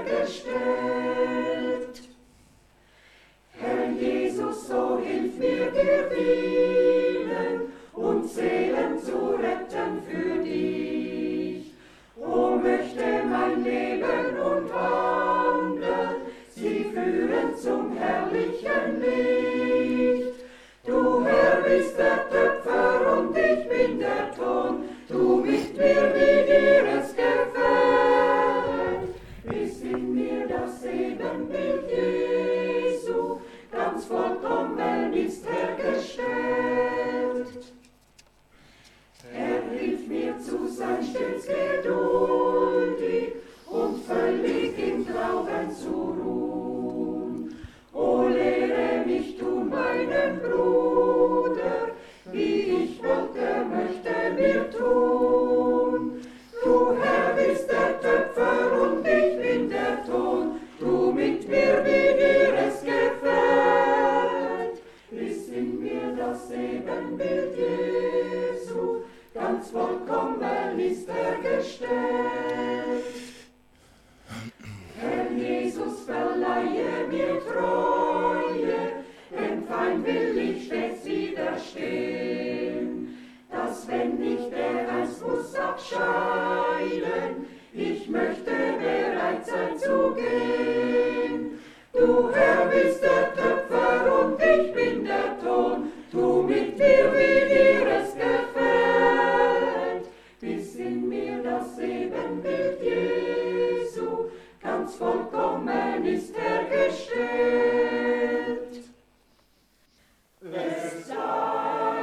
hergestellt. Herr Jesus, so hilf mir dir dienen und Seelen zu retten für dich. O möchte mein Leben und Wandeln sie führen zum herrlichen Licht. Du Herr bist der Töpfer und ich bin der Ton, tu mit mir, wie dir es gefällt. Bis in mir das Ebenbild Jesu ganz vollkommen ist hergestellt. Er hilft mir zu sein stets geduldig und völlig im Glauben zu ruhen. O lehre mich tun meinen Bruder, wie ich wollte, möchte mir tun. Du Herr bist der Töpfer und ich bin der Ton, tu mit mir, wie dir es gefällt. Bis in mir das Ebenbild Jesu ganz vollkommen ist hergestellt. Herr Jesus, verleihe mir Treue, dem Feind will ich stets widerstehen, dass wenn nicht er einst muss abscheiden, ich möchte bereit sein zu gehen. Du Herr bist der Töpfer und ich bin der Ton, tu mit mir, wie dir es gefällt. Bis in mir das Ebenbild Jesu ganz vollkommen ist hergestellt. Es sei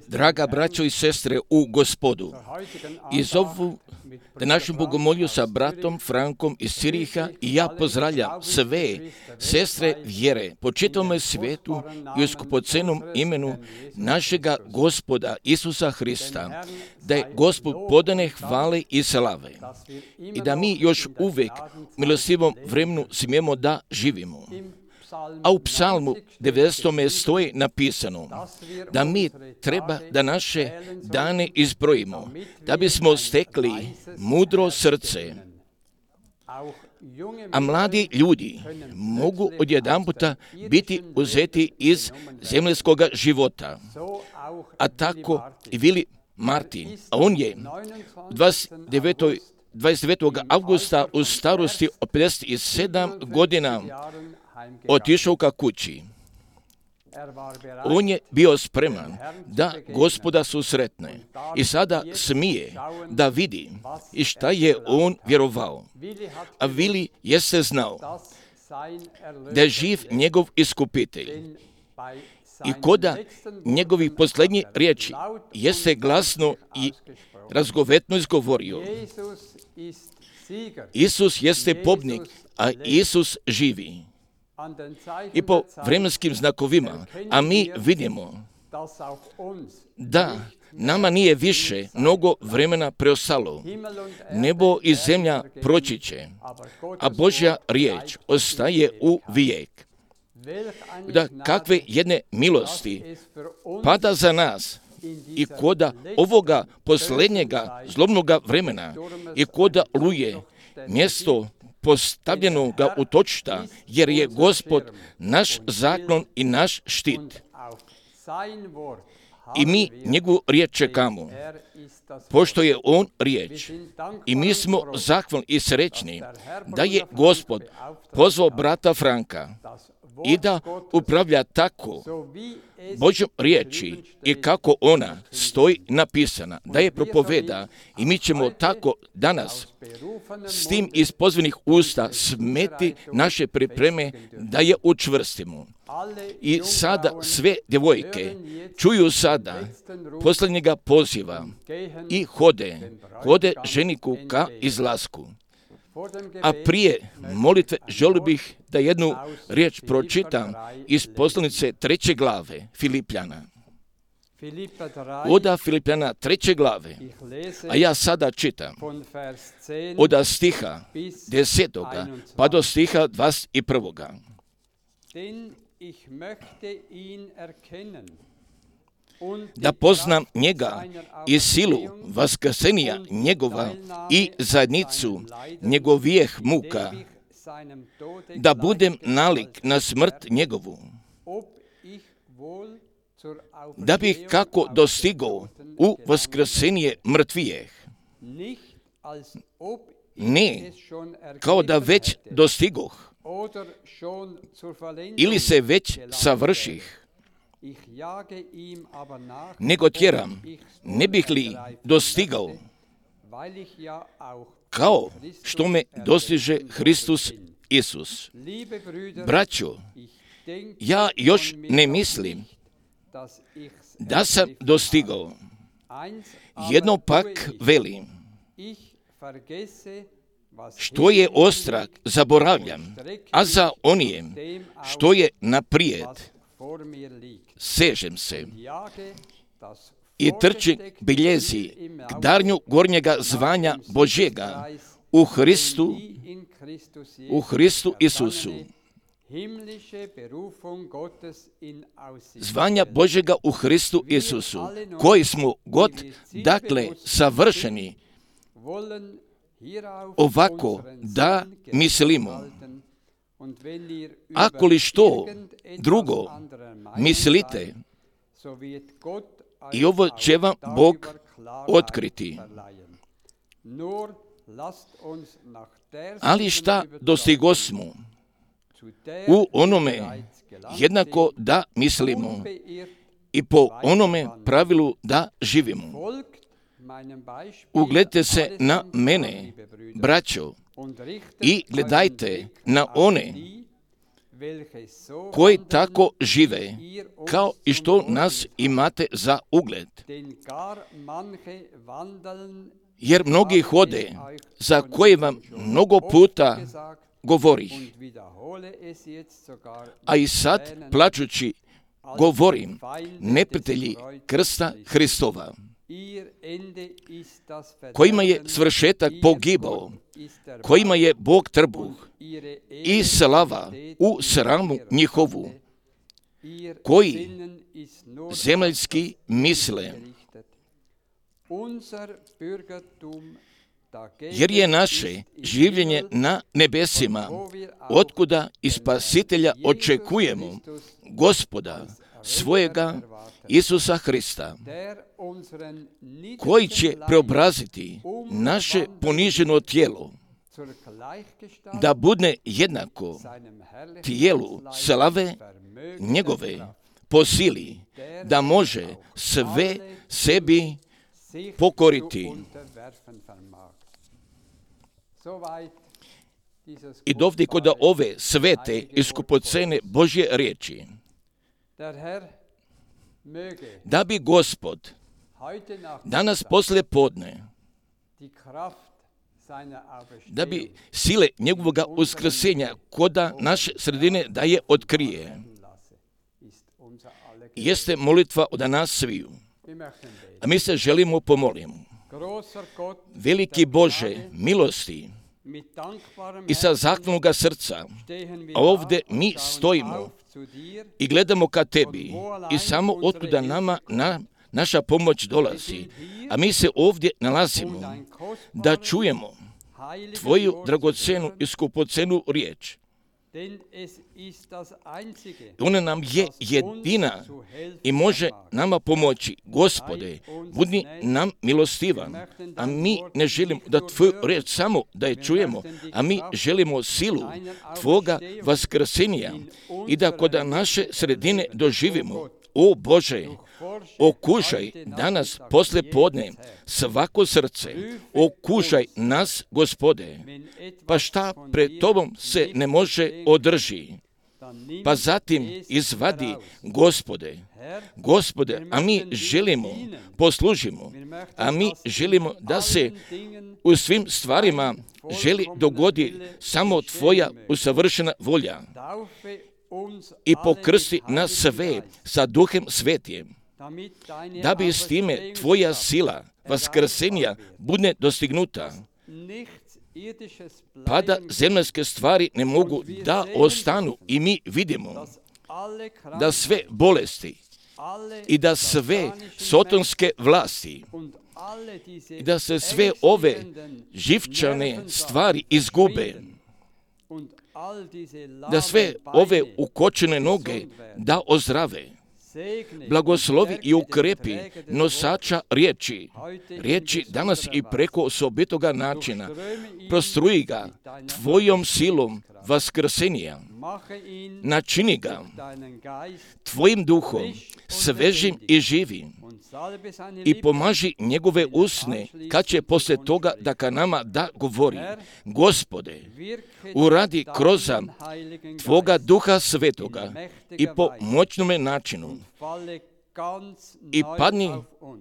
Draga braćo i sestre u Gospodu, iz ovu današnju bogomolju sa bratom Frankom iz Ciriha i ja pozdravljam sve sestre vjere po čitavom svijetu i u skupocenom imenu našega Gospoda Isusa Hrista, da je Gospod podane hvale i slave i da mi još uvijek u milostivom vremenu smijemo da živimo. A u psalmu 90. stoji napisano da mi treba da naše dane izbrojimo, da bismo stekli mudro srce. A mladi ljudi mogu odjedanputa biti uzeti iz zemljskog života. A tako i Vili Martin, a on je 29. avgusta u starosti od 57 godina otišao ka kući. On je bio spreman da Gospoda susretne i sada smije da vidi i šta je on vjerovao. A Vili jeste znao da je živ njegov iskupitelj i koda njegovih posljednjih riječi jeste glasno i razgovetno izgovorio: Isus jeste pobjednik, a Isus živi. I po vremenskim znakovima, a mi vidimo da nama nije više mnogo vremena preostalo, nebo i zemlja proći će, a Božja riječ ostaje u vijek. Da kakve jedne milosti pada za nas i koda ovoga posljednjega zlobnoga vremena i koda luje mjesto postavljenoga utočišta, jer je Gospod naš zaklon i naš štit. I mi njegovu riječ čekamo, pošto je on riječ. I mi smo zahvalni i srećni da je Gospod pozvao brata Franka i da upravlja tako Božjom riječi i kako ona stoji napisana, da je propoveda, i mi ćemo tako danas s tim iz pozvanih usta smeti naše pripreme da je učvrstimo. I sada sve djevojke čuju sada posljednjega poziva i hode ženiku ka izlasku. A prije molitve želio bih da jednu riječ pročitam iz poslanice 3. glave Filipljana. Oda Filipljana 3. glave, a ja sada čitam od stiha 10. pa do stiha 21. Da poznam njega i silu vaskrsenja njegova i zajednicu njegovijeh muka, da budem nalik na smrt njegovu, da bih kako dostigao u vaskrsenje mrtvijeh. Ne kao da već dostigoh ili se već savrših, nego tjeram, ne bih li dostigao, kao što me dostiže Hristus Isus. Braćo, ja još ne mislim da sam dostigao. Jedno pak velim, što je ostrah zaboravljam, a za onijem što je naprijed sežem se i trčim biljezi k darnju gornjega zvanja Božjega u Hristu Isusu. Zvanja Božjega u Hristu Isusu, koji smo god, dakle, savršeni, ovako da mislimo. Ako li što drugo mislite, i ovo će vam Bog otkriti. Ali šta dostigosmo u onome jednako da mislimo i po onome pravilu da živimo. Ugledajte se na mene, braćo, i gledajte na one koji tako žive kao i što nas imate za ugled. Jer mnogi hode, za koje vam mnogo puta govorih, a i sad plačući govorim, neprijatelji krsta Hristova, kojima je svršetak pogibao, kojima je Bog trbuh i slava u sramu njihovu, koji zemaljski misle, jer je naše življenje na nebesima, otkuda i Spasitelja očekujemo, Gospoda svojega Isusa Hrista, koji će preobraziti naše poniženo tijelo, da bude jednako tijelu slave njegove po sili, da može sve sebi pokoriti. I dovde kod ove svete i skupocene Božje riječi, da bi Gospod danas posle podne, da bi sile njegovoga uskrsenja koda naše sredine da je otkrije, jeste molitva od nas sviju. A mi se želimo pomoliti. Veliki Bože milosti i sa zahvalnoga srca, a ovdje mi stojimo i gledamo ka tebi i samo otkuda nama naša pomoć dolazi, a mi se ovdje nalazimo da čujemo tvoju dragocenu i skupocenu riječ. Ona nam je jedina i može nama pomoći. Gospode, budi nam milostivan, a mi ne želimo da tvoju riječ samo da je čujemo, a mi želimo silu tvoga vaskrsenja i da kod naše sredine doživimo. O Bože, okušaj danas posle podne svako srce, okušaj nas, Gospode, pa šta pred tobom se ne može održi, pa zatim izvadi, Gospode, a mi želimo, poslužimo, a mi želimo da se u svim stvarima želi dogodi samo tvoja usavršena volja i pokrsti nas sve sa Duhem Svetim, da bi s time tvoja sila vaskrsenja bude dostignuta, pa da zemaljske stvari ne mogu da ostanu i mi vidimo da sve bolesti i da sve sotonske vlasti i da se sve ove živčane stvari izgube, da sve ove ukočene noge da ozdrave. Blagoslovi i ukrepi nosača riječi danas i preko osobitoga načina. Prostruji ga tvojom silom vaskrsenja. Načini ga tvojim duhom svežim i živim i pomaži njegove usne kad će posle toga da ka nama da govori. Gospode, uradi kroz tvoga Duha Svetoga i po moćnome načinu i padni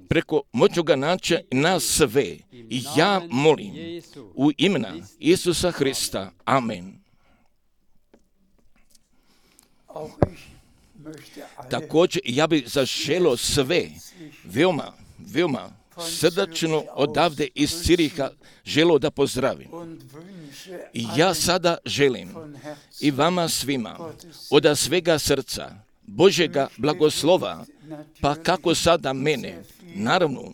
preko moćnoga načina na sve. I ja molim u imena Isusa Hrista. Amen. Također ja bih zaželio sve veoma srdačno odavde iz Ciriha želio da pozdravim. I ja sada želim i vama svima od svega srca Božjega blagoslova, pa kako sada mene, naravno,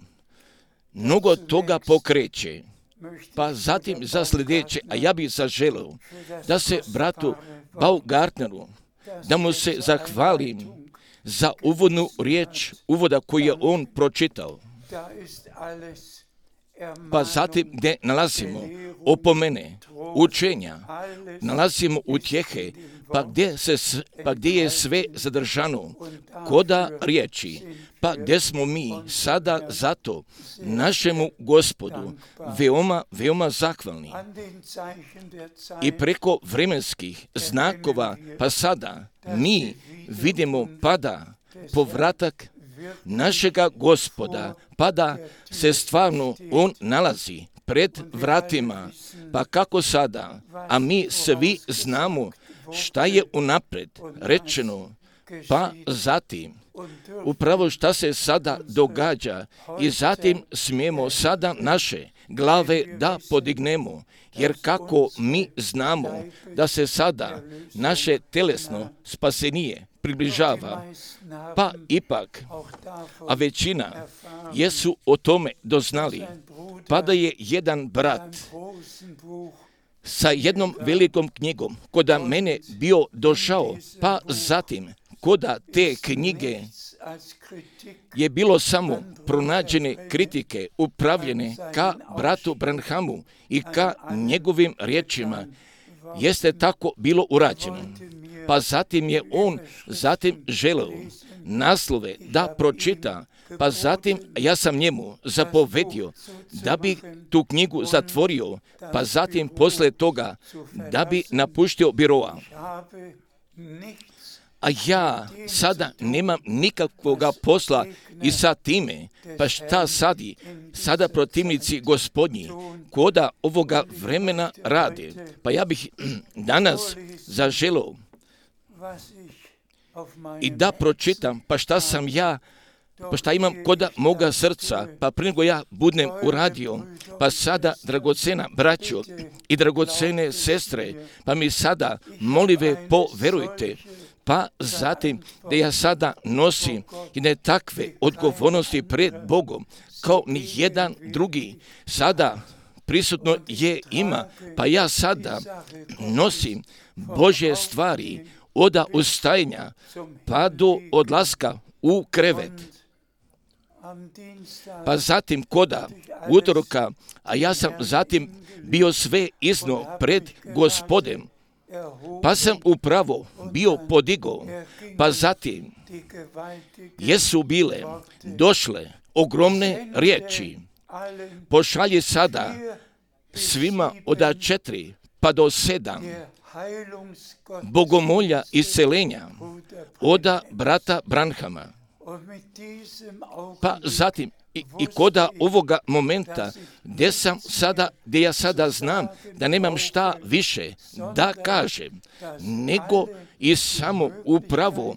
mnogo toga pokreće, pa zatim za sljedeće, a ja bih zaželio da se bratu Baumgartneru, da mu se zahvalim za uvodnu riječ, uvoda koju je on pročitao. Pa zatim gdje nalazimo opomene, učenja, nalazimo utjehe, pa gdje je sve zadržano, koda riječi, pa gdje smo mi sada zato našemu Gospodu veoma zahvalni. I preko vremenskih znakova, pa sada mi vidimo pada povratak našega Gospoda, pa da se stvarno on nalazi pred vratima, pa kako sada, a mi svi znamo šta je unaprijed rečeno, pa zatim upravo šta se sada događa i zatim smijemo sada naše glave da podignemo, jer kako mi znamo da se sada naše telesno spasenije približava, pa ipak, a većina jesu o tome doznali, pa da je jedan brat sa jednom velikom knjigom koda mene bio došao, pa zatim koda te knjige je bilo samo pronađene kritike upravljene ka bratu Branhamu i ka njegovim riječima, jeste tako bilo urađeno. Pa zatim je on želeo naslove da pročita, pa zatim ja sam njemu zapovedio da bi tu knjigu zatvorio, pa zatim posle toga da bi napuštio biroa. A ja sada nemam nikakvoga posla i sa time, pa šta sada protivnici gospodnji, koda ovoga vremena rade. Pa ja bih danas zaželao i da pročitam, pa šta imam koda moga srca, pa prije nego ja budem uradio, pa sada, dragocena braćo i dragocene sestre, pa mi sada molive poverujte, pa zatim da ja sada nosim i ne takve odgovornosti pred Bogom, kao ni jedan drugi sada prisutno ima, pa ja sada nosim Božje stvari od ustajanja pa do odlaska u krevet. Pa zatim koda utorka, a ja sam zatim bio sve izno pred Gospodem, pa sam upravo bio podigao, pa zatim jesu bile došle ogromne riječi. Pošalji sada svima od 4 pa do 7 bogomolja iscelenja od brata Branhama. Pa zatim i koda ovoga momenta gdje ja sada znam da nemam šta više da kažem, nego i samo upravo,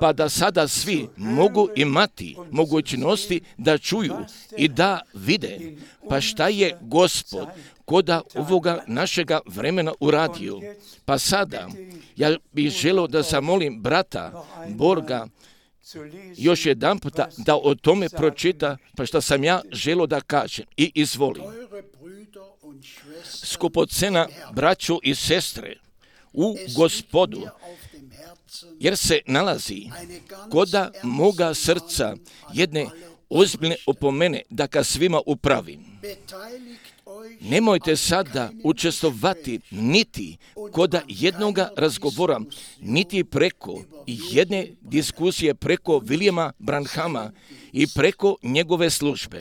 pa da sada svi mogu imati mogućnosti da čuju i da vide, pa šta je Gospod koda ovoga našega vremena uradio. Pa sada ja bih želio da zamolim brata Borga još jedan puta da o tome pročita, pa što sam ja želio da kažem. I izvoli. Skupocena braćo i sestre u Gospodu, jer se nalazi koda moga srca jedne ozbiljne opomene da ka svima upravim. Nemojte sada učestvovati niti koda jednoga razgovora, niti preko jedne diskusije preko Williama Branhama i preko njegove službe.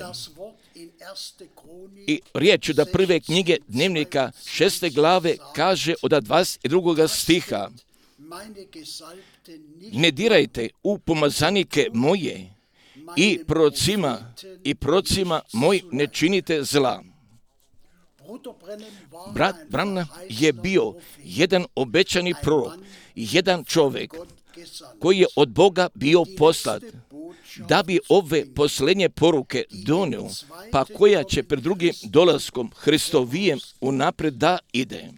I riječ da prve knjige dnevnika 6. glave kaže od 22. stiha: ne dirajte u pomazanike moje i procima moj ne činite zla. Brat Branham je bio jedan obećani prorok, jedan čovjek koji je od Boga bio poslat da bi ove posljednje poruke donio, pa koja će pred drugim dolaskom Hristovijem unaprijed da ide.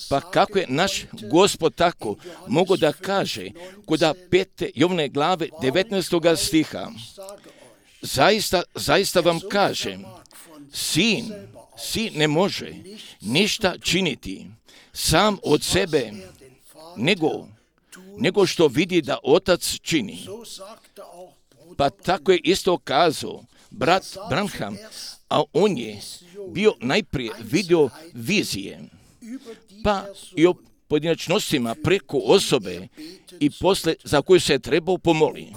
Pa kako je naš Gospod tako mogo da kaže koda 5. Jovne glave 19. stiha: zaista vam kažem, sin ne može ništa činiti sam od sebe, nego što vidi da otac čini. Pa tako je isto kazao brat Branham, a on je bio najprije vidio vizije, pa i o pojedinačnostima preko osobe i posle za koju se trebao pomoliti.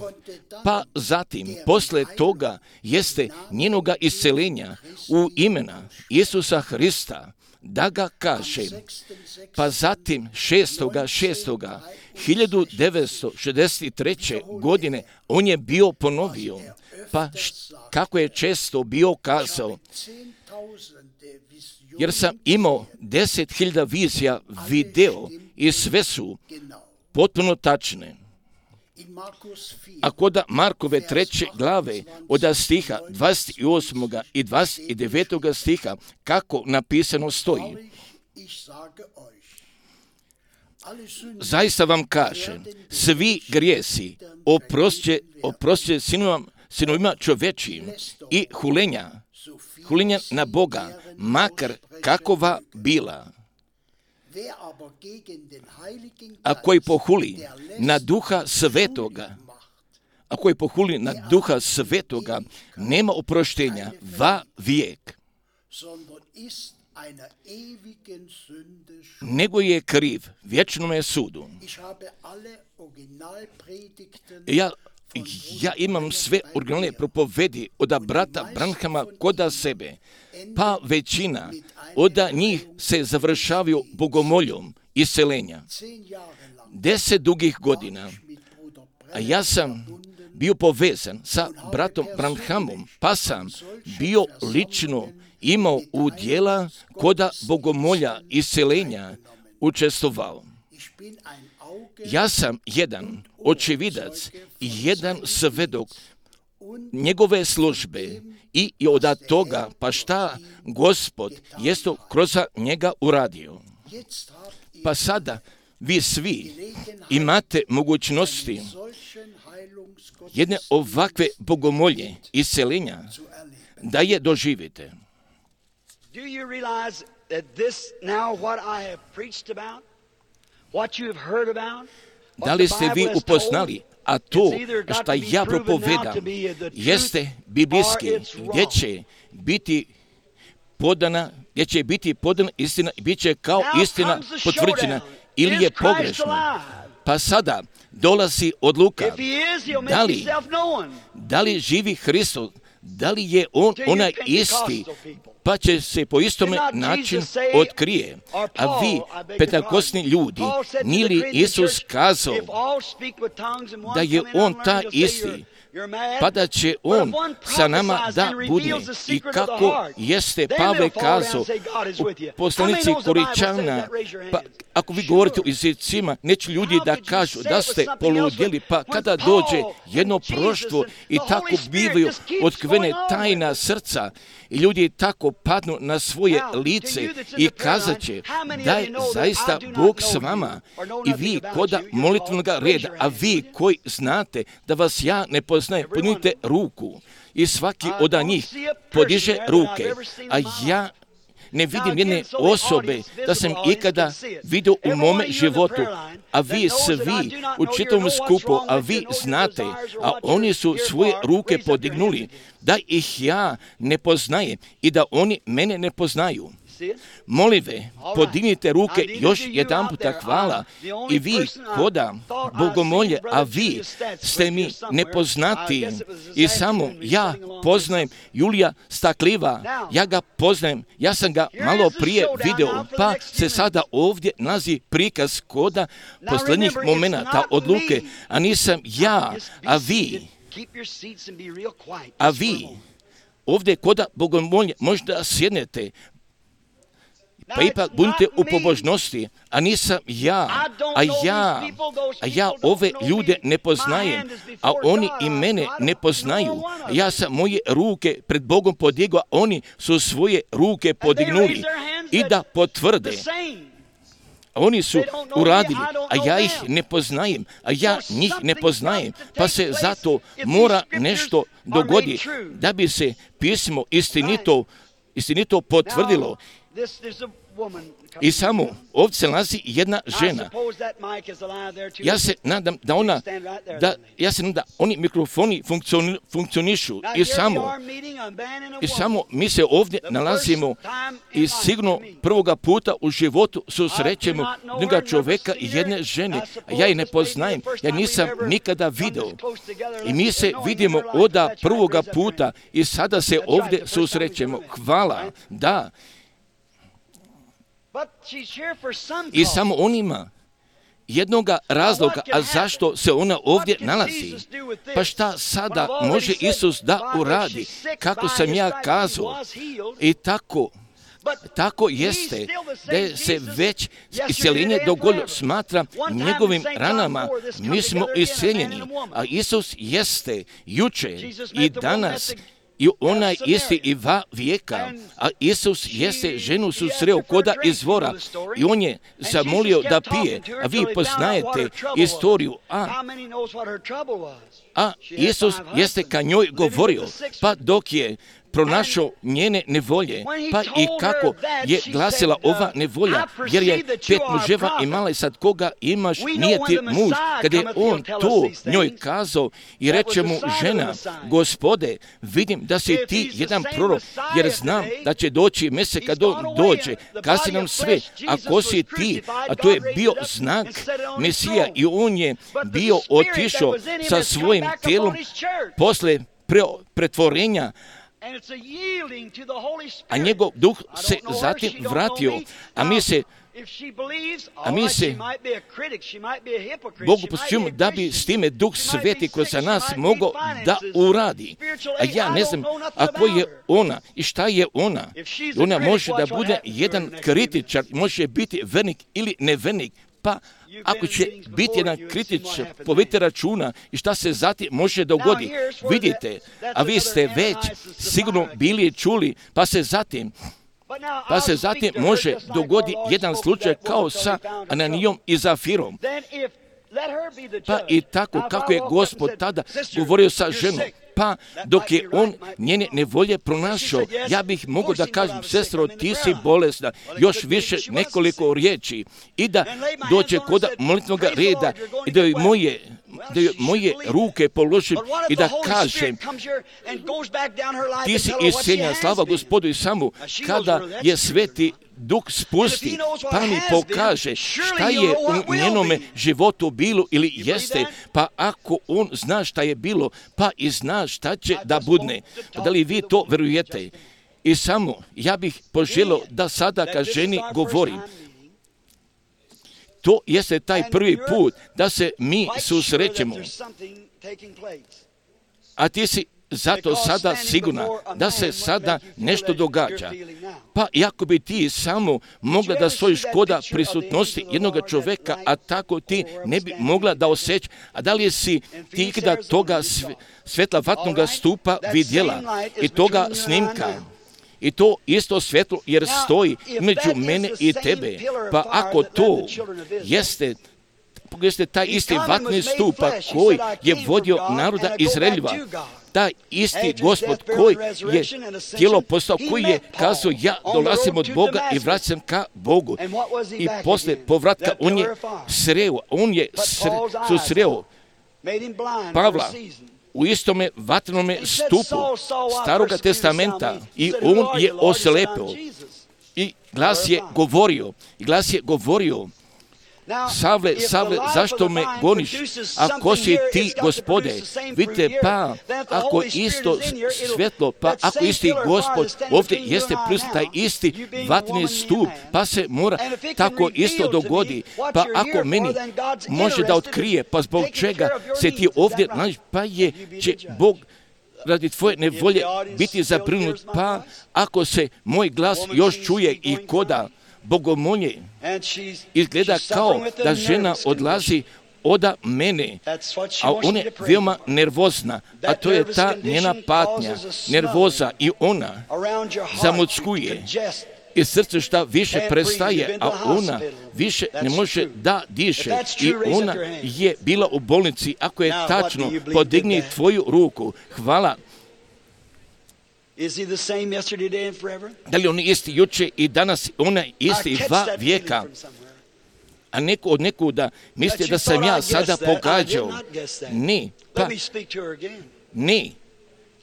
Pa zatim, posle toga jeste njenoga iscelenja u imena Isusa Hrista da ga kaže. Pa zatim 1963. godine on je bio ponovio. Pa kako je često bio kazao, jer sam imao 10.000 vizija video i sve su potpuno tačne. A kod Markove 3. glave od stiha 28. i 29. stiha kako napisano stoji. Zaista vam kažem, svi grijesi oprosće sinovima čovečijim i hulenja na Boga, makar kakova bila. A koji pohuli na Duha Svetoga, nema oproštenja va vijek, nego je kriv vječnome sudu. Ja imam sve originalne propovedi od brata Branhama koda sebe, pa većina od njih se završavaju bogomoljom iseljenja. 10 dugih godina, a ja sam bio povezan sa bratom Branhamom, pa sam bio lično imao udjela koda bogomolja iseljenja učestvovao. Ja sam jedan očevidac i jedan svedok njegove službe i od toga pa šta Gospod jesto kroz njega uradio. Pa sada vi svi imate mogućnosti jedne ovakve bogomolje iseljenja da je doživite. Do you realize that this now what I have preached about, what you have heard about, da li ste vi upoznali, a to što ja propovedam jeste biblijski, gdje će biti podana istina i bit će kao istina potvrđena ili je pogrešna. Pa sada dolazi odluka, da li živi Hristos, da li je on onaj isti, pa će se po istome način otkrije. A vi, pentakosni ljudi, nije li Isus kazao da je on ta isti, pa da će on sa nama da bude. I kako jeste Pavle kazao u poslanici Koričana, pa ako vi govorite o jezicima, neće ljudi da kažu da ste poludjeli, pa kada dođe jedno proštvo i tako bivaju otkrivene tajna srca i ljudi tako padnu na svoje lice i kazat će da je zaista Bog s vama i vi koda molitvenog reda, a vi koji znate da vas ja ne poznajem, podignite ruku i svaki od njih podiže ruke, a ja ne vidim jedne osobe da sam ikada vidio u mome životu, a vi svi u čitavom skupu, a vi znate, a oni su svoje ruke podignuli, da ih ja ne poznajem i da oni mene ne poznaju. Molive, podignite ruke još jedan puta, hvala. I vi koda bogomolje, a vi ste mi nepoznati i samo ja poznajem Julija Stakliva, ja ga poznajem, ja sam ga malo prije video, pa se sada ovdje nalazi prikaz koda posljednjih momenata odluke, a nisam ja, a vi ovdje koda bogomolje možda sjednete, pa ipak budite u pobožnosti, a nisam ja, a ja ove ljude ne poznajem, a oni i mene ne poznaju. Ja sam moje ruke pred Bogom podigao, oni su svoje ruke podignuli i da potvrde. Oni su uradili, a ja ih ne poznajem, a ja njih ne poznajem, pa se zato mora nešto dogoditi da bi se pismo istinito potvrdilo. I samo ovdje se nalazi jedna žena. Ja se nadam da oni mikrofoni funkcionišu i samo mi se ovdje nalazimo i sigurno prvoga puta u životu susrećemo jednoga čovjeka i jedne žene, a ja ih ne poznajem, ja nisam nikada vidio. I mi se vidimo od prvoga puta i sada se ovdje susrećemo. Hvala, da. I samo on ima jednoga razloga, a zašto se ona ovdje nalazi. Pa šta sada može Isus da uradi? Kako sam ja kazao, i tako jeste da se već isceljenje dogodilo, smatra njegovim ranama mi smo isceljeni, a Isus jeste jučer i danas i onaj isti i va vijeka, a Isus jeste ženu susreo koda izvora i on je zamolio da pije, a vi poznajete istoriju, a Isus jeste ka njoj govorio, pa dok je pronašao njene nevolje, pa i kako je glasila ova nevolja, jer je 5 muževa imala i sad koga imaš, nije ti muž. Kada je on to njoj kazao i reče mu žena, Gospode, vidim da si ti jedan prorok, jer znam da će doći mjesec kad on dođe, kazi nam sve, a ko si ti? A to je bio znak Mesija i on je bio otišao sa svojim tijelom posle pretvorenja, a njegov duh se zatim vratio, a mi se Bogu posvećujemo da bi s time Duh Sveti kroz nas mogao da uradi. A ja ne znam, ako je ona i šta je ona. Ona može da bude jedan kritičar, može biti vernik ili nevernik, pa ako će biti jedan kritičar, povedite računa i šta se zatim može dogoditi. Vidite, a vi ste već sigurno bili čuli, pa se zatim može dogoditi jedan slučaj kao sa Ananijom i Zafirom. Pa i tako kako je Gospod tada govorio sa ženom, pa dok je on njene nevolje pronašao, ja bih mogao da kažem, sestro, ti si bolesna, još više nekoliko riječi i da dođe kod molitvnog reda i da joj moje ruke položim i da kažem, ti si isceljen, slava Gospodu, i samo kada je Sveti Duh spusti, pa mi pokaže šta je u njenome životu bilo ili jeste, pa ako on zna šta je bilo, pa i zna šta će da budne. Da li vi to verujete? I samo ja bih poželio da sada ka ženi govorim. To jeste taj prvi put da se mi susrećemo. A ti si zato sada sigurna da se sada nešto događa. Pa iako bi ti samo mogla da stojiš koda prisutnosti jednog čovjeka, a tako ti ne bi mogla da osjeća. A da li si ti ikada toga svetla vatnoga stupa vidjela i toga snimka? I to isto svjetlo jer stoji među mene i tebe. Pa ako to jeste taj isti vatni stupa koji je vodio naroda Izraeljeva, taj isti Gospod koji je tijelo postao, koji je kazao, ja dolazim od Boga i vraćam ka Bogu. I posle povratka on je susreo Pavla u istome vatrenome stupu Staroga testamenta i on je oslepio. I glas je govorio, Savle, zašto me goniš? Ako si ti, Gospode, vidite, pa ako isto svjetlo, pa ako isti Gospod ovdje jeste prisutan, taj isti vatreni stup, pa se mora tako isto dogodi. Pa ako meni može da otkrije, pa zbog čega se ti ovdje nalaziš, pa će Bog radi tvoje nevolje biti zabrinut, pa ako se moj glas još čuje i koda bogomolje, izgleda kao da žena odlazi oda mene, a ona je veoma nervozna, a to je ta njena patnja, nervoza, i ona zamuckuje i srce šta više prestaje, a ona više ne može da diše i ona je bila u bolnici. Ako je tačno, podigni tvoju ruku. Hvala. Da li on isti juče i danas, ona isti va vijeka? A neko od nekuda misli da sam ja sada pogađao. Ne,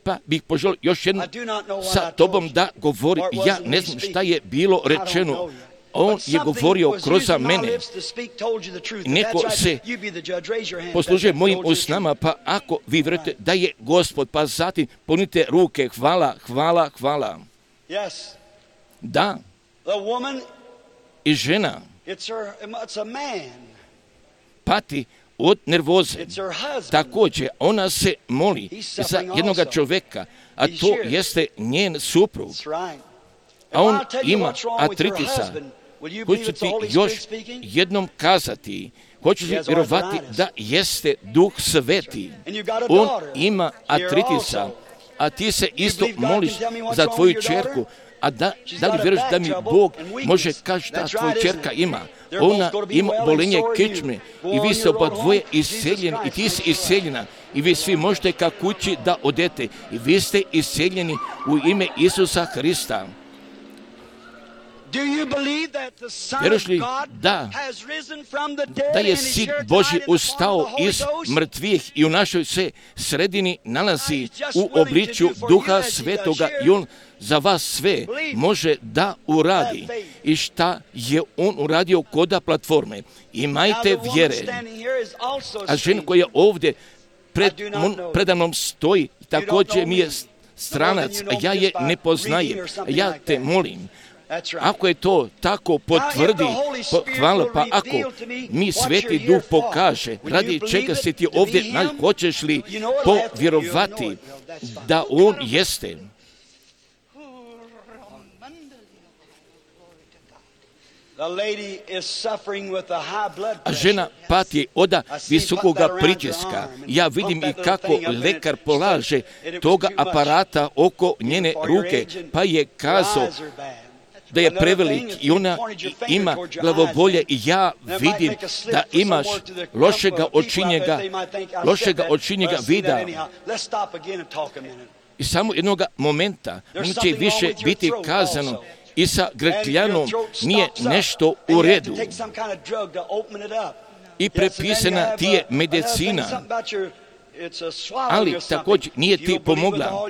pa bih poželio još jednom sa tobom da govori. Ja ne znam šta je bilo rečeno. On je govorio kroz mene. Neko se poslužuje mojim usnama, pa ako vi vjerujete da je Gospod, pa zatim ponite ruke. Hvala. Da. I žena It's a man. pati od nervoze. It's her husband. Također, ona se moli za jednog čovjeka, a to jeste njen suprug. That's right. A on If I'll tell you ima what's wrong with your artritisa. husband, will you Hoću believe it's ti the Holy još Spirit speaking? jednom kazati, hoćeš li He has vjerovati arthritis. da jeste Duh Sveti. And you got a On daughter ima here artritisa, also. a ti se isto believe God moliš can tell me what's za wrong tvoju with your čerku, a da She's li got a vjeruješ back da mi trouble Bog and weakness. može kaži da That's tvoja right, čerka isn't it? ima. They're both Ona gonna be ima well and bolenje so are you. kičme Go i on vi ste your oba road dvoje home. Jesus iseljeni i Christ ti is si alive. iseljena i vi svi možete ka kući da odete i vi ste iseljeni u ime Isusa Hrista. Do you believe that the Son Vjeruješ of li God da has risen from the dead da and je is Sin here Božji tonight in the form of ustao the Holy iz Ghost? mrtvih i u našoj se sredini nalazi u obličju Duha Svetoga i On za vas sve može da uradi. I šta je On uradio koda platforme? Now Imajte the woman vjere. standing here is also A žena strange. koja ovdje predamnom stoji, također mi je stranac, a ja je ne poznajem. Ja te molim, That's right. ako je to tako potvrdi, hvala, pa ako mi Sveti Duh pokaže, radi čega se ti ovdje, hoćeš li povjerovati da On jeste? The lady is suffering with a high blood A pressure. žena pati od visokoga pritiska. Ja vidim i kako lekar polaže toga aparata oko njene ruke, pa je kazao da je prevelik i ona ima glavobolje i ja vidim da imaš lošega očinjega vida. I samo jednog momenta neće više biti kazano i sa grkljanom nije nešto u redu. I prepisana ti je medicina, ali također nije ti pomogla.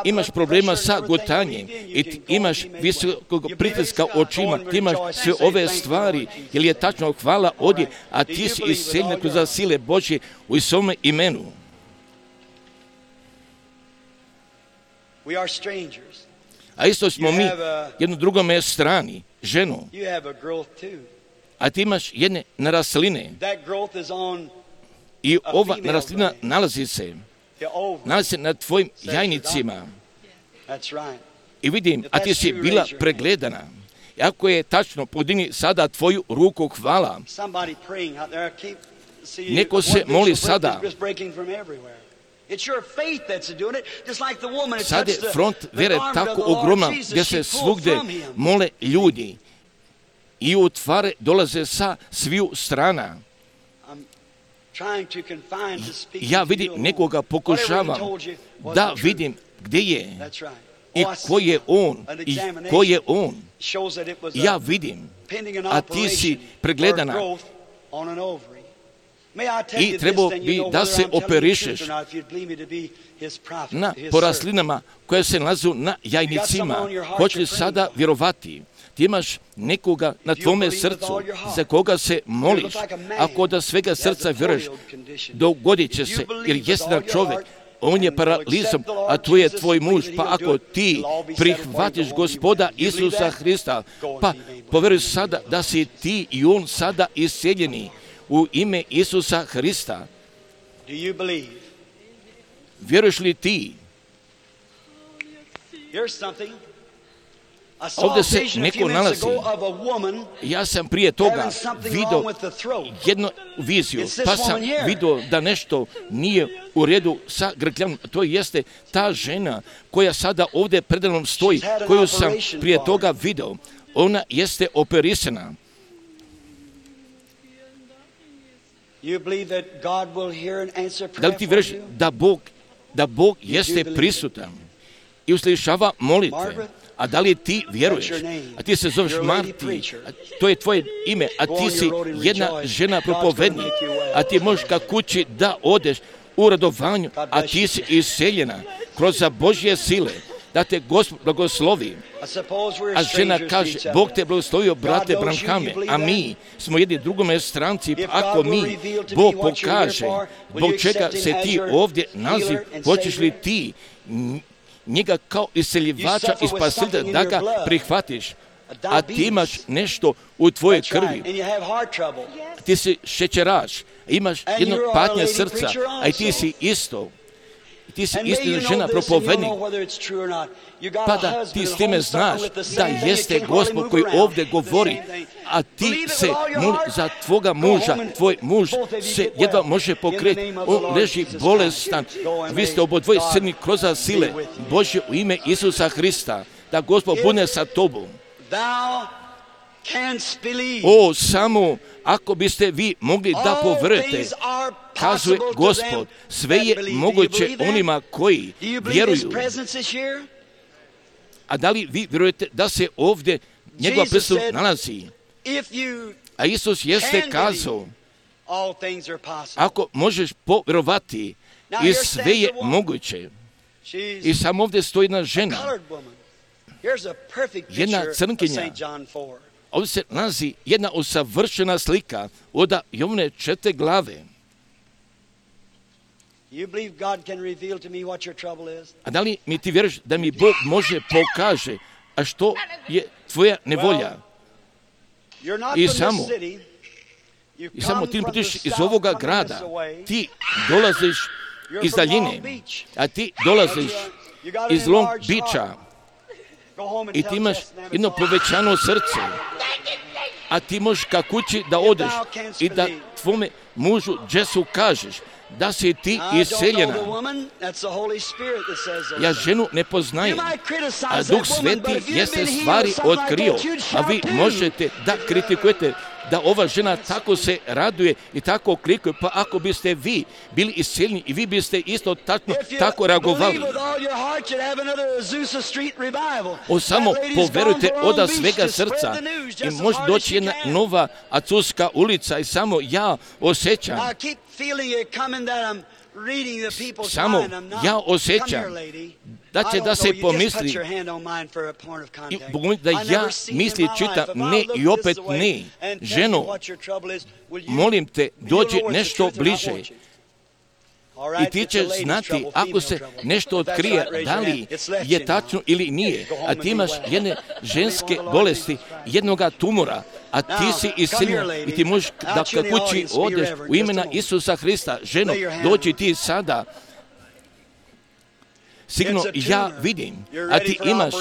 Imaš problema sa gutanjem i ti imaš visokog pritiska očima, ti imaš sve ove stvari, jer je tačno hvala ovdje, a ti si iseljen kroz sile Božje u svome imenu. A isto smo mi jedno drugome strani, ženu, a ti imaš jedne narasline. I ova naraslina nalazi se na tvojim jajnicima. I vidim, a ti si bila pregledana. I ako je tačno, podigni sada tvoju ruku, hvala. Neko se moli sada. Sad je front vjere tako ogromna gdje se svugdje mole ljudi i u tvare dolaze sa sviju strana. Ja vidim nekoga, pokušavam da vidim gdje je i ko je on. Ja vidim, a ti si pregledana i trebao bi da se operišeš na poraslinama koje se nalazu na jajnicima. Hoće li sada vjerovati? Ti imaš nekoga na tvome srcu za koga se moliš. Ako da svega srca vjeruješ, dogodit će se, jer jedan čovjek, on je paralizom, a tu je tvoj muž, pa ako ti prihvatiš Gospoda Isusa Hrista, pa povjeruj sada da si ti i on sada isceljeni u ime Isusa Hrista. Vjeruješ li ti? Ovdje se neko nalazi. Ja sam prije toga vidio jednu viziju, pa sam vidio da nešto nije u redu sa grkljanom. To jeste ta žena koja sada ovdje predamnom stoji, koju sam prije toga vidio. Ona jeste operisana. Da li ti vjeruješ da Bog jeste prisutan i uslišava molitve? A da li ti vjeruješ? A ti se zoveš Marti, to je tvoje ime, a ti si jedna žena propovednik, a ti možeš ka kući da odeš u radovanju, a ti si iseljena kroz Božje sile, da te Gospod blagoslovi. A žena kaže, Bog te blagoslovio, brate Branhame, a mi smo jedni drugome stranci, pa ako mi, Bog pokaže, zbog čega se ti ovdje nalazi, hoćeš li ti njega kao iseljivača i spasitelja da ga prihvatiš? a ti imaš nešto u tvojoj krvi. Ti si šećeraš, imaš jedno patnje srca, a i ti si isto. Ti si istina žena propovednik. Pa da ti s time znaš da jeste Gospod koji ovdje govori, a ti se moli za tvoga muža, tvoj muž se jedva može pokreći, on leži bolestan, vi ste obodvoje srni kroz sile Božje u ime Isusa Hrista, da Gospod bude sa tobom. O, samo ako biste vi mogli da poverujete, kazuje Gospod, sve je moguće onima koji vjeruju. A da li vi vjerujete da se ovdje njegova prisutnost nalazi? A Isus jeste kazao, ako možeš povjerovati, i sve je moguće. I samo ovdje stoji jedna žena, jedna crnkinja. Ovdje se nalazi jedna usavršena slika od Jovne 4. glave. A da li mi ti vjeruješ da mi Bog može pokaže, a što je tvoja nevolja? I samo ti putiš iz ovoga grada, ti dolaziš iz daljine, a ti dolaziš iz Long Beacha i ti imaš jedno povećano srce, a ti možeš ka kući da odeš i da tvome mužu Jesu kažeš da si ti iseljena. Ja ženu ne poznajem, a Duh Sveti jeste stvari otkrio, a vi možete da kritikujete da ova žena tako se raduje i tako klikuje, pa ako biste vi bili iseljeni i vi biste isto tako reagovali. Samo poverujte od svega srca i može doći jedna nova Azusa ulica i samo ja osjećam, da će da se pomisli i da ja misli čitam ne i opet ne. Ženo, molim te, dođi nešto bliže. I ti ćeš znati ako se nešto otkrije, da li je tačno ili nije. A ti imaš jedne ženske bolesti, jednoga tumora, a ti si iseljen i ti možeš da kući odeš u imena Isusa Hrista. Ženo, dođi ti sada. Sigurno ja vidim, a ti imaš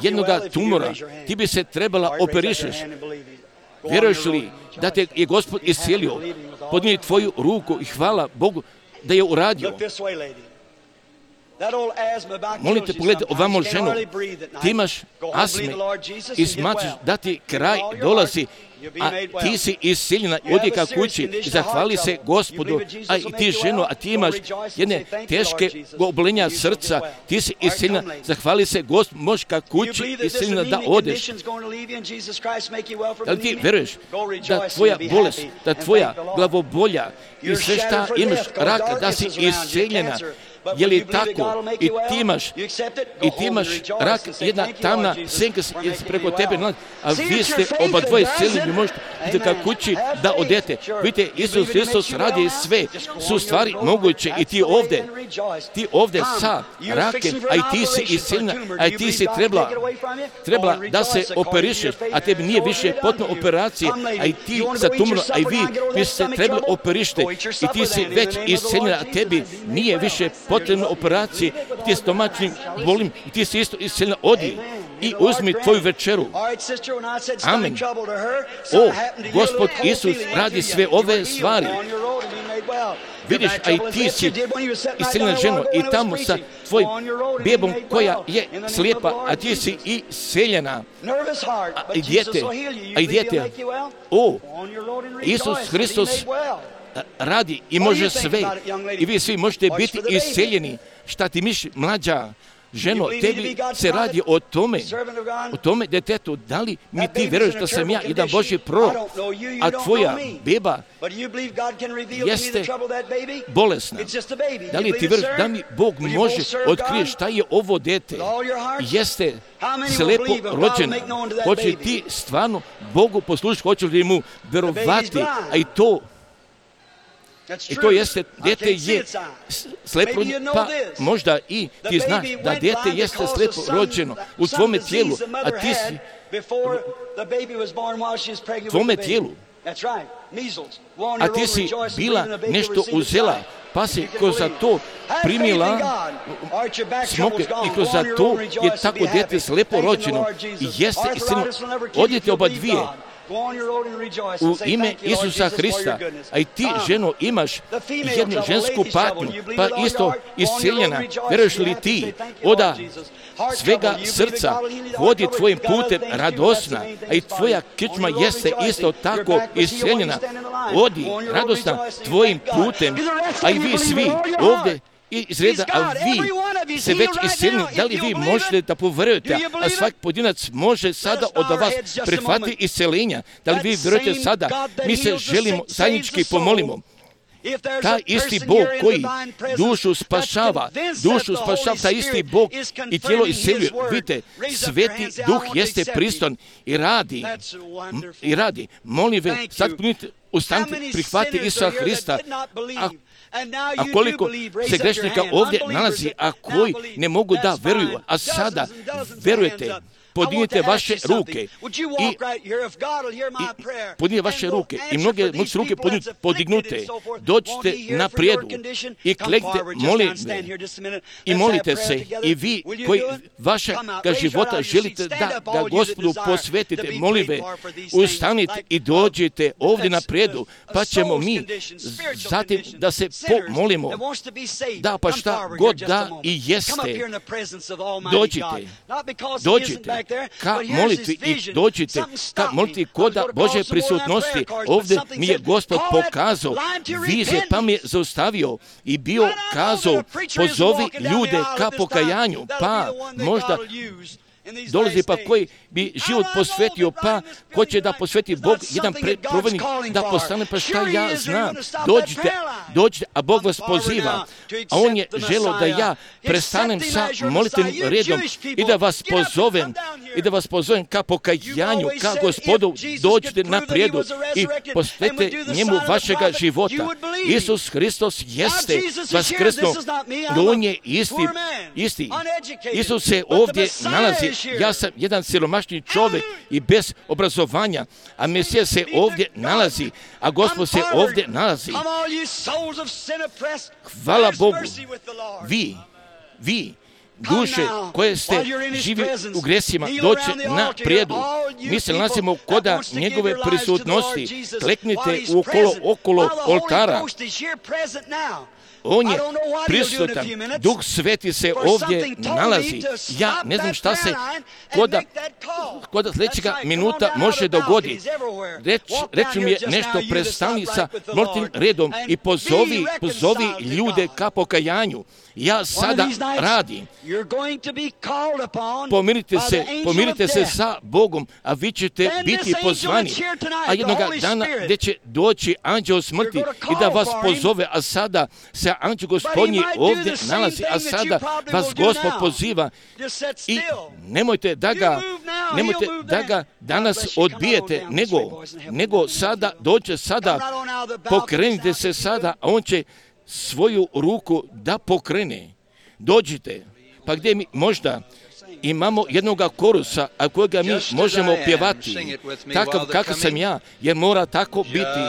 jednoga tumora, ti bi se trebala operišeš. Vjeruješ li da te je Gospod iscijelio? Podnijeli tvoju ruku i hvala Bogu da je uradio. Molite, pogledaj ovamo ženu, ti imaš astme i smatraš da ti kraj dolazi, a ti si iscijeljena, odi ka kući i zahvali se Gospodu, a i ti ženo, a ti imaš jedne teške obolenja srca, ti si iscijeljena, zahvali se Gospodu, možeš ka kući iscijeljena da odeš. Da li ti veruješ da tvoja bolest, da tvoja glavobolja i sve šta imaš rak, da si iscijeljena? Je li tako? I ti imaš rak, jedna tamna senka se preko tebe nalazi, a vi ste oba dvoje cijeli, vi možete ka kući da odete. Vidite, Isus Hristos radi sve, su stvari moguće i ti ovdje sa rakem, a i ti si iscijeljena, a i ti si trebala da se operišeš, a tebi nije više potrebna operacija, a i ti sa tumorom, a i vi ste trebali operište i ti si već iscijeljena, a tebi nije više potrebne operacije, ti stomačnim bolim, i ti si isto iscijeljena, odi i uzmi tvoju večeru. Amen. O, Gospod Isus radi sve ove stvari. Vidiš, a i ti si iscijeljena ženo i tamo sa tvojim bebom koja je slijepa, a ti si iscijeljena. A i dijete, o, Isus Hristos radi i može sve i vi svi možete biti iscijeljeni. Šta ti misliš, mlađa ženo, tebi se radi o tome detetu, da li mi ti vjeruješ da sam ja jedan Božji prorok, a tvoja beba jeste bolesna. Da li ti vjeruješ da mi Bog može otkrije šta je ovo dete? Jeste slepo rođena. Hoće li ti stvarno Bogu poslušati, hoće li mu vjerovati, a i to I to jeste, dijete je slepo, pa možda i ti znaš da dijete jeste slepo rođeno u tvome tijelu, a ti si tvome tijelu, a ti si bila nešto uzela, pa si kroz za to primila smoke i kroz za to je tako dijete slepo rođeno i jeste istina. Odite oba dvije u ime Isusa Hrista, a i ti, ženo, imaš jednu žensku patnju, pa isto isceljena. Veruješ li ti oda svega srca vodi tvojim putem radosna, a i tvoja kičma jeste isto tako isceljena. Odi radosna tvojim putem, a i vi svi ovdje iz reda, a vi se već isceljeni, da li vi možete da poverujete, a svaki pojedinac može sada od vas prihvatiti isceljenja, da li vi vjerujete sada, mi se želimo zajednički pomolimo. Taj isti Bog koji dušu spašava, taj isti Bog i tijelo isceljuje. Vidite, Sveti Duh jeste priston i radi. Molim ve, sad ustanite, prihvati Isusa Hrista. A koliko se grešnika ovdje nalazi, a koji ne mogu da veruju, a sada verujete, podignite vaše ruke i podignite vaše ruke i mnoge su ruke podignute. Dođite na prijedu i klekte, i molite se i vi koji vašega života želite da Gospodu posvetite, molive, ustanite i dođite ovdje na prijedu, pa ćemo mi zatim da se pomolimo. Da, pa šta god da i jeste, dođite ka molitvi i dođite ka molitvi koda Božje prisutnosti. Ovdje mi je Gospod pokazao vizije, pa mi je zaustavio i bio kazao, pozovi ljude ka pokajanju, pa možda dolazi pa koji bi život posvetio, pa ko će da posveti Bog jedan provednik da postane, pa šta ja znam. Dođite, a Bog vas poziva, a On je želeo da ja prestanem sa molitvenim redom i da vas pozovem ka pokajanju, ka Gospodu. Dođite na prijedu i posvetite njemu vašega života. Isus Hristos jeste vaskrsnuo, On je isti. Isus se ovdje nalazi. Ja sam jedan siromašni čovjek i bez obrazovanja, a Mesija se ovdje nalazi, a Gospod se ovdje nalazi. Hvala Bogu, vi, duše koje ste živi u gresima, doće na prijedu. Mi se nalazimo koda njegove prisutnosti. Kleknite okolo oltara. On je prisutan, Duh Sveti se ovdje nalazi. Ja ne znam šta se koda sljedećega minuta može dogoditi. Reći mi je nešto, prestani sa molitvenim redom i pozovi ljude ka pokajanju. Ja sada radim. Pomirite se sa Bogom, a vi ćete biti pozvani. A jednoga dana gdje će doći anđeo smrti i da vas pozove, a sada se anđeo Gospodnji ovdje nalazi, a sada vas Gospod poziva i nemojte da ga danas odbijete, nego sada dođe sada, pokrenite se sada, a On će svoju ruku da pokrene. Dođite, pa gdje mi možda imamo jednoga korusa, a kojega mi možemo pjevati, takav kakav sam ja, jer mora tako biti.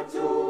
zu